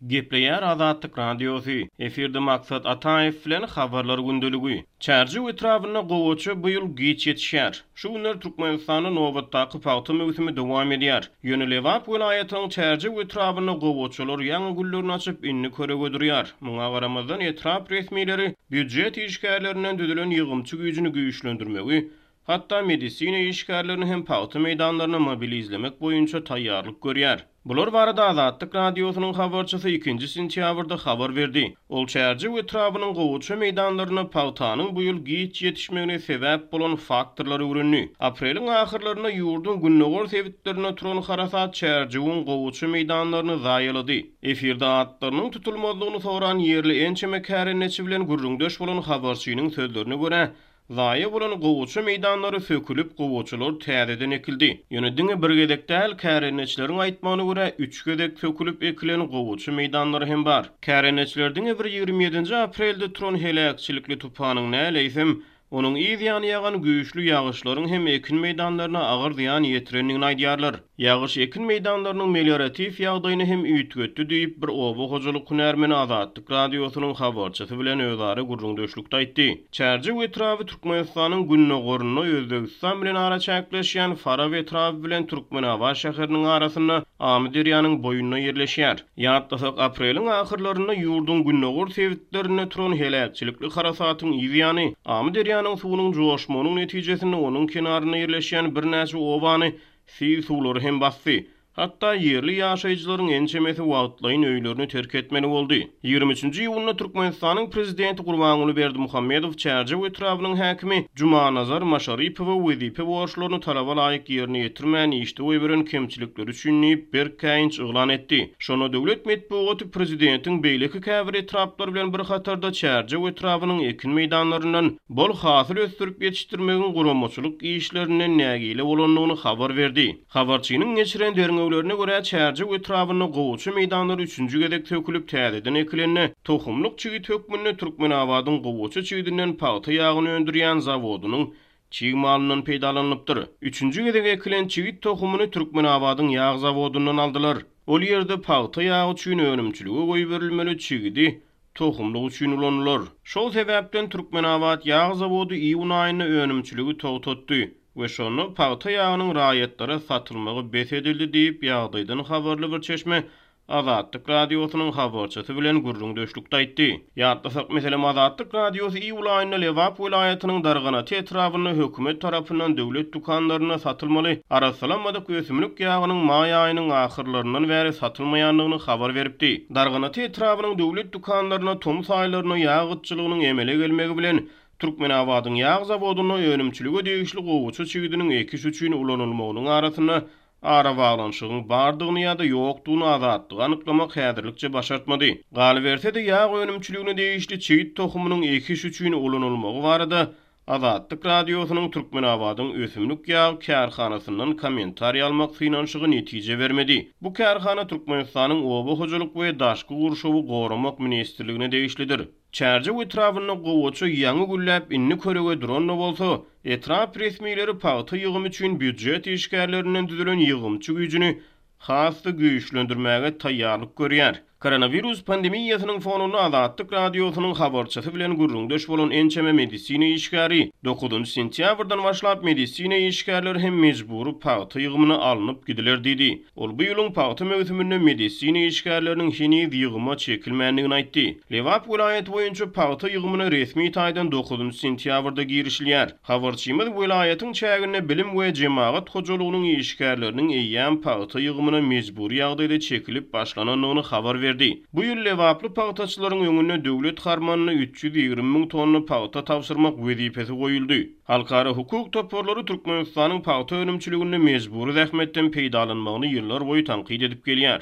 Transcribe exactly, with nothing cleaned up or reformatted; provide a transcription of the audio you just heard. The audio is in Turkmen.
Gepleýär Azatlyk Radiosy, efirde Maksat Ataýew bilen Habarlar gündeligi. Çärjew etrabynda gowaça bu ýyl giç ýetişýär. Şu günler Türkmenistanda nobatdaky pagta möwsümi dowam edýär. Ýöne Lebap welaýatynyň Çärjew etrabynda gowaçalar ýaňy güllerini açyp, indi körege durýar. Muňa garamazdan etrap resmileri býujet işgärlerinden düzülen ýygymçy güýjüni güýçlendirmegi, hatda medisina işgärlerini hem pagta meýdanlaryna mobilizlemek boýunça taýýarlyk görýär. Bular barada Azatlyk Radiosynyň habarçysy ikinji sentýabrda habar berdi. Ol Çärjew etrabynyň gowaça meýdanlaryna pagtanyň bu ýyl giç ýetişmegine sebäp bolan faktorlary öwrendi. Apreliň ahyrlarynda ýurduň gündogar sebitlerinde turan harasat Çärjewiň gowaça meýdanlaryny zaýalady. Efirde atlarynyň tutulmazlygyny soran ýerli ençeme kärendeçi bilen gürrüňdeş bolan habarçynyň sözlerine görä, zaýa bolan gowaça meýdanlary sökülip, gowaçalar täzeden ekildi. Ýöne diňe bir gezek däl, kärendeçileriň aýtmagyna görä üç gezek sökülip ekilen gowaça meýdanlary hem bar. Kärendeçiler diňe bir ýigrimi ýedinji aprelde turan heläkçilikli tupanyň näleýsem, onuň yz ýany ýagan güýçli ýagyşlaryň hem ekin meýdanlaryna agyr zyýan ýetirendigini aýdýarlar. Ýagyş ekin meýdanlarynyň melioratiw ýagdaýyny hem üýtgetdi diýip, bir oba hojalyk hünärmeni Azatlyk Radiosynyň habarçysy bilen özara gürrüňdeşlikde aýtdy. Çärjew etraby Türkmenistanyň gündogarynda Özbegistan bilen araçäkleşýän Farap etraby bilen Türkmenabat şäheriniň arasynda Amyderýanyň boýunda ýerleşýär. Ýatlasak, apreliň ahyrlarynda ýurduň gündogar sebitlerinde turan heläkçilikli harasatyň yz ýany Amyderýanyň suwunyň joşmagynyň netijesinde onuň kenarynda ýerleşýän birnäçe obany sil suwlary hem basdy. Hatda ýerli ýaşaýjylaryň ençemesi wagtlaýyn öýlerini terk etmeli boldy. Ýigrimi üçünji iýunda Türkmenistanyň prezidenti Gurbanguly Berdimuhamedow Çärjew etrabynyň häkimi Jumanazar Maşaripowa wezipe borçlaryny talaba laýyk ýerine ýetirmän işde goýberen kemçilikleri üçin diýip berk käýinç yglan etdi. Şonda döwlet metbugaty prezidentiň beýleki käbir etraplar bilen bir hatarda Çärjew etrabynyň ekin meýdanlaryndan bol hasyl ösdürip ýetişdirmegiň guramaçylyk işlerinden nägile bolandygyny habar berdi. Habarçynyň geçiren derňewlerine görä Çärjew etrabynda gowaça meýdanlary üçünji gezek sökülip täzeden ekilende tohumlyk çigit hökmünde Türkmenabadyň gowaça çigidinden pagta ýagyny öndürýän zawodynyň çig malyndan peýdalanylypdyr. Üçünji gezek ekilen çigit tohumyny Türkmenabadyň ýag zawodyndan aldylar. Ol ýerde pagta ýagy üçin önümçilige goýberilmeli çigidi tohumlyk üçin ulanylar. Şol sebäpden Türkmenabat ýag zawody iýun aýynda önümçiligi togtatdy we şonda pagta ýagynyň raýatlara satylmagy bes edildi diýip ýagdaýdan habarly bir çeşme Azatlyk Radiosynyň habarçysy bilen gürrüňdeşlikde aýtdy. Ýatlasak, meselem, Azatlyk Radiosy iýul aýynda Lebap welaýatynyň Darganata etrabynda hökümet tarapyndan döwlet dükanlarynda satylmaly arassalanmadyk ösümlik ýagynyň maý aýynyň ahyrlaryndan bäri satylmaýandygyny habar beripdi. Darganata etrabynyň döwlet dükanlaryna tomus aýlarynda ýag gytçylygynyň emele gelmegi bilen Türkmenabadyň ýag zawodynda önümçilige degişli gowaça çigidiniň ekiş üçin ulanylmagynyň arasynda arabaglanyşygyň bardygyny ýa-da ýokdugyny Azatlyga anyklamak häzirlikçe başartmady. Galyberse-de ýag önümçiligine degişli çigit tohumynyň ekiş üçin ulanylmagy barada Azatlyk Radiosynyň Türkmenabadyň ösümlik ýag kärhanasyndan kommentariý almak synanyşygy netije bermedi. Bu kärhana Türkmenistanyň Oba hojalyk we Daşky gurşawy goramak ministrligine degişlidir. Çärjew etrabynda gowaça ýaňy gülläp indi körege duran-da bolsa, etrap resmileri pagta ýygymy üçin býujet işgärlerinden düzülen ýygymçy güýjüni has-da güýçlendirmäge taýýarlyk görýär. Koronawirus pandemiýasynyň fonunda Azatlyk Radiosynyň habarçysy bilen gürrüňdeş bolan ençeme medisina işgäri dokuzynjy sentýabrdan başlap medisina işgärleri hem mejbury pagta ýygymyna alnyp gidiler diýdi. Ol bu ýylyň pagta möwsüminde medisina işgärleriniň heniz ýygyma çekilmändigini aýtdy. Lebap welaýaty boýunça pagta ýygymyna resmi taýdan dokuzynjy sentýabrda girişilýär. Habarçymyz welaýatyň çäginde bilim we jemagat hojalygynyň işgärleriniň eýýäm pagta ýygymyna mejbury ýagdaýda çekilip başlanandygyny habar berdi. Bu ýyl Lebaply pagtaçylaryň öňünde döwlet harmanyna üç ýüz ýigrimi müň tonna pagta tabşyrmak wezipesi goýuldy. Halkara hukuk toparlary Türkmenistanyň pagta önümçiliginde mejbury zähmetden peýdalanmagyny ýyllar boýy tankyt edip gelýär.